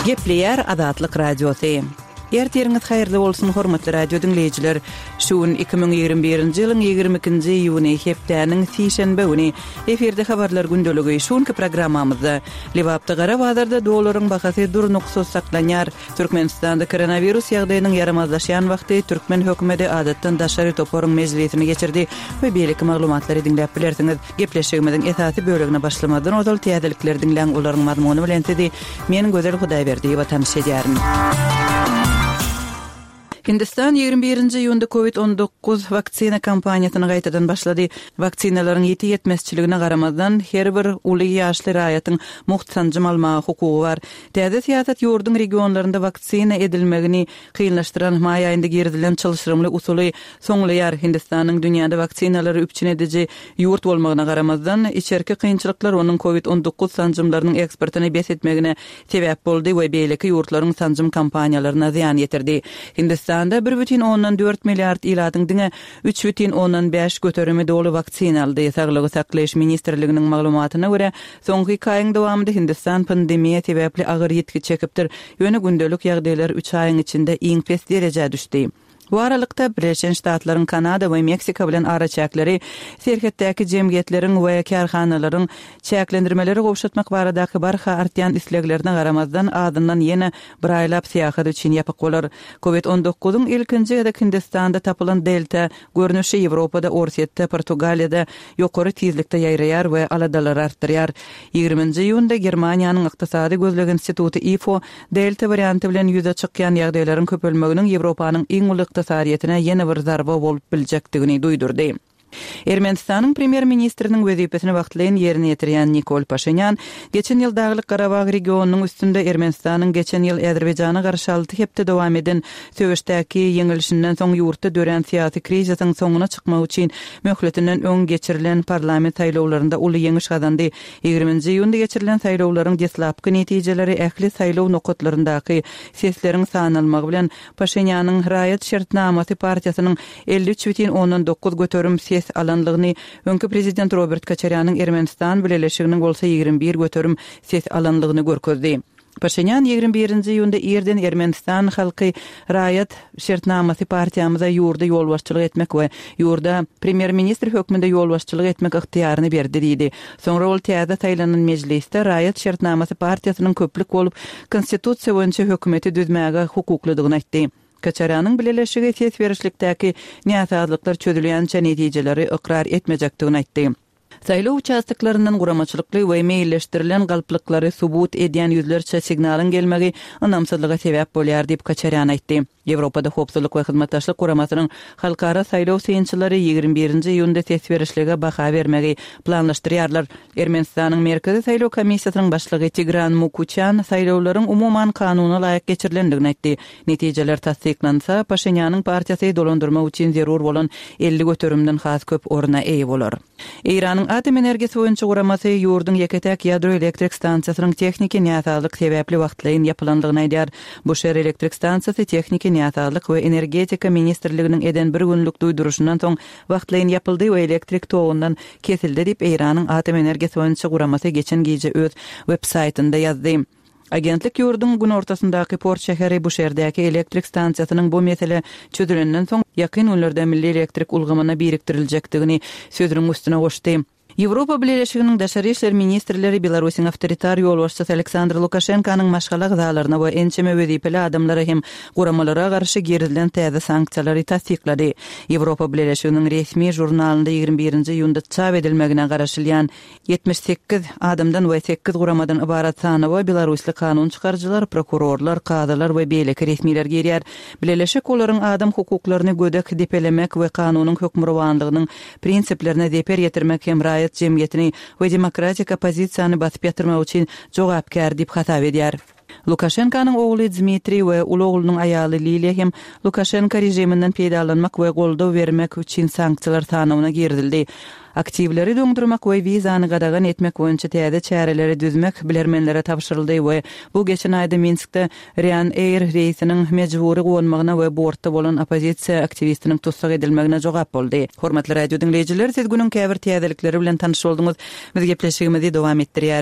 Gepleýär Azatlyk Radiosy. Ertiriňiz haýyrly bolsun, hormatly radio diňleýjiler! Şu gün 2021-nji ýylyň 22-nji iýuny, hepdäniň sişenbe güni. Efirde habarlar gündeligi. Şu günki programmamyzda Lebapda gara bazarda dollaryň bahasy durnuksyz saklanýar. Türkmenistanda koronawirus ýagdaýynyň ýaramazlaşýan wagty türkmen hökümeti adatdan daşary toparyň mejlisini geçirdi we beýleki maglumatlary diňläp bilersiňiz. Gepleşigimiziň esasy bölegine başlamazdan ozal täzelikleri diňläň, olaryň mazmuny bilen sizi men Gözel Hudaýberdiýewa tanyş edýärin. Hindistan 21-nji iýunda Covid 19 waksina kampaniýasyny gaýtadan başlady. Waksinalaryň ýiti ýetmezçiligine garamazdan, her bir uly ýaşly raýatyň mugt sanjym almaga hukugy bar. Täze syýasat ýurduň regionlarynda waksina edilmegini kynlaşdyran maý aýynda girizilen çylşyrymly usuly soňlaýar. Hindistanyň dünýäde waksinalary üpjün ediji ýurt bolmagyna garamazdan, içerki kynçylyklar onuň Covid 19 sanjymlarynyň eksportyny bes etmegine sebäp boldy we beýleki ýurtlaryň sanjym kampaniýalaryna zyýan ýetirdi. Hindistanda bir bütin ondan dört milliard ilatyň diňe üç bütin ondan bäş göterimi doly waksina aldy. Saglygy saklaýyş ministrliginiň maglumatyna görä, soňky iki aýyň dowamynda Hindistan pandemiýa sebäpli agyr ýitgi çekipdir, ýöne gündelik ýagdaýlar üç aýyň içinde iň pes derejä düşdi. Bu aralykda, Birleşen Ştatlaryň Kanada we Meksika bilen araçäkleri serhetdäki jemgyýetleriň we kärhanalaryň çäklendirmeleri gowşatmak baradaky barha artýan isleglerine garamazdan, azyndan ýene bir aýlap syýahat üçin ýapyk bolar. Covid on dokuzyň ilkinji gezek Hindistanda tapylan Delta görnüşi Ýewropada, Orsýetde, Portugaliýada ýokary tizlikde ýaýraýar we aladalary artdyrýar. Ýigriminji iýunda Germaniýanyň Ykdysady gözleg instituty ifo Delta warianty bilen ýüze çykýan ýagdaýlaryň köpelmeginiň Ýewropanyň iň uly ykdysadyýetine ýene bir zarba bolup biljekdigini duýdurdy. Ermenistanyň premýer-ministriniň wezipesini wagtlaýyn ýerine ýetirýän Nikol Paşinýan geçen ýyl Daglyk-Garabag regionynyň üstünde Ermenistanyň geçen ýyl Azerbaýjana garşy alty hepde dowam eden söweşdäki ýeňilişinden soň ýurtda dörän syýasy krizisiň soňuna çykmak üçin möhletinden öň geçirilen parlament saýlawlarynda uly ýeňiş gazandy. Ýigriminji iýunda geçirilen saýlawlaryň deslapky netijeleri ähli saýlaw nokatlaryndaky sesleriň sanalmagy bilen Paşinýanyň Raýat şertnamasy partiýasynyň 53,9% ses alanlygyny, öňki prezident Robert Koçarýanyň Ermenistan bileleşiginiň bolsa 21% ses alanlygyny görkezdi. Paşinýan 21-nji iýunda irden Ermenistan halky Raýat şertnamasy partiýamyza ýurda ýolbaşçylyk etmek we ýurda premýer-ministr hökmünde ýolbaşçylyk etmek ygtyýaryny berdi diýdi. Soňra ol täze saýlanan mejlisde Raýat şertnamasy partiýasynyň köplük bolup konstitusiýa boýunça hökümeti düzmäge hukuklydygyny aýtdy. Koçarýanyň bileleşigi ses berişlikdäki näsazlyklar çözülýänçä netijeleri ykrar etmejekdigini aýtdy. Saýlaw uçastoklaryndan guramaçylykly we meýilleşdirilen galplyklary subut edýän ýüzlerçe signalyň gelmegi ynamsyzlyga sebäp bolýar diýip, Koçarýan aýtdy. Ýewropada Howpsuzlyk we Hyzmatdaşlyk Guramasynyň halkara saýlaw synçylary 21-nji iýunda ses berişlige baha bermegi planlaşdyrýarlar. Ermenistanyň Merkezi saýlaw komissiýasynyň başlygy Tigran Mukuçýan saýlawlaryň umuman kanuna laýyk geçirilendigini aýtdy. Netijeler tassyklansa, Paşinýanyň partiýasy dolandyrmak üçin zerur bolan 50 göterimden has köp orna eýe bolar. Eýranyň Atom energiýasy boýunça guramasy ýurduň ýeke-täk ýadro elektrik stansiýasynyň tehniki näsazlyk sebäpli wagtlaýyn ýapylandygyny aýdýar. Buşer elektrik stansiýasy tehniki näsazlyk we Energetika ministrliginiň eden bir günlük duýduryşyndan soň wagtlaýyn ýapyldy we elektrik togundan kesildi diýip, Eýranyň Atom energiýasy boýunça guramasy geçen gije öz web-saýtynda ýazdy. Agentlik ýurduň günortasyndaky port şäheri Buşerdäki elektrik stansiýasynyň bu mesele çözülenden soň, ýakyn günlerde milli elektrik ulgamyna biriktiriljekdigini sözüniň üstüne goşdy. Ýewropa Bileleşiginiň daşary işler ministrleri Belarusyň awtoritar ýolbaşçysy Aleksandr Lukaşenkanyň maşgala agzalaryna we ençeme wezipeli adamlara hem guramalara garşy girizilen täze sanksiýalary tassyklady. Ýewropa Bileleşiginiň resmi žurnalynda 21-nji iýunda çap edilmegine garaşylýan 78 adamdan we sekiz guramadan ybarat sanawa belarusly kanun çykaryjylar, prokurorlar, kazylar we beýleki resmiler girýär. Bileleşik olaryň adam hukuklaryny gödek depelemek we kanunyň hökmürowanlygynyň prinsiplerine zeper ýetirmek hem raýat jemgyýetini we demokratik oppozisiýany basyp ýatyrmak üçin jogapkär diýip hasap edýär. Lukaşenkanyň ogly Dmitriý we uly oglunyň aýaly Liliýa hem Lukaşenka režiminden peýdalanmak we goldaw bermek üçin sanksiýalar sanawyna girizildi. Aktiwleri doňdurmak we wizany gadagan etmek boýunça täze çäreleri düzmek bilermenlere tabşyryldy we bu geçen aýda Minskde Ryanair reýsiniň mejbury gonmagyna we bortda bolan oppozisiýa aktiwistiniň tussag edilmegine jogap boldy. Hormatly radio diňleýjiler, siz günüň käbir täzelikleri bilen tanyş bolduňyz. Biz gepleşigimizi dowam etdirýäris.